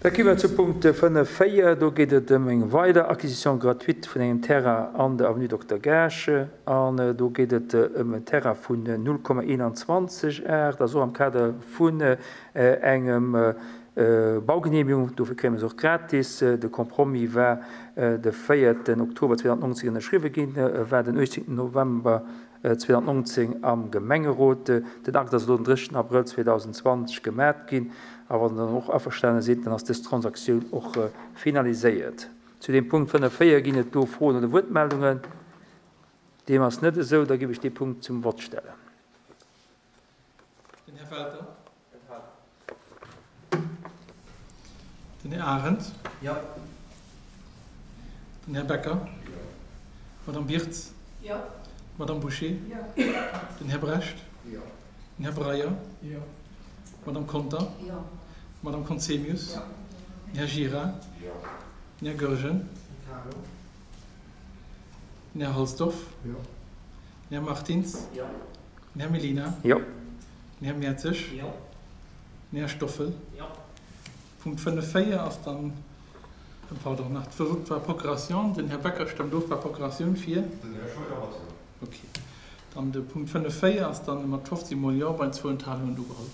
Da gi mer zu Punkt 5, 4. Do geet et ëm eng weider Acquisition gratuite vun engem Terrain an der Avenue Dokter Gaasch. An do geet et ëm en Terrain vun 0,21 Ar. Dat ass och am Kader vun engem Baugenehmigung. Dofir kréie mer se och gratis. De Compromis war de véierten Oktober 2019 ënnerschriwwe ginn, war den 18 November 2019 am Gemengerot. Den Akt ass elo den 30 Abrëll 2020 gemat ginn a wann Der dann och averstane sidd, dann ass dës Transaktioun och finaliséiert. Zu deem Punkt 5, 4 ginn et do Froen oder Wuertmeldungen? Deem ass net esou, da giff ech dee Punkt zum Vott stellen. Den Här Welter. Den Här Arendt. Jo. Den Här Becker. Jo. D'Madame Birtz. Jo. D'Madame Bouché. Jo. Den Här Brecht. Jo. Den Här Breyer. Jo. D'Madame Conter. Jo. D'Madame Conzemius. Jo. Den Här Gira. Jo. Den Här Goergen. Enthalung. Den Här Halsdorf. Jo. Den Här Martins. Jo. Den Här Mellina. Jo. Den Här Mertzig. Jo. Den Här Stoffel. Jo. Punkt 5, 4 ass dann, pardon, nach d'Vote par procuration. Den Här Becker stëmmt of par Procuratioun fir. Den Här Scheuer mat Jo. Okay. Dann de Punkt 5, 4 ass dann mat 15 mol Jo bei zwou Enthalungen ugeholl.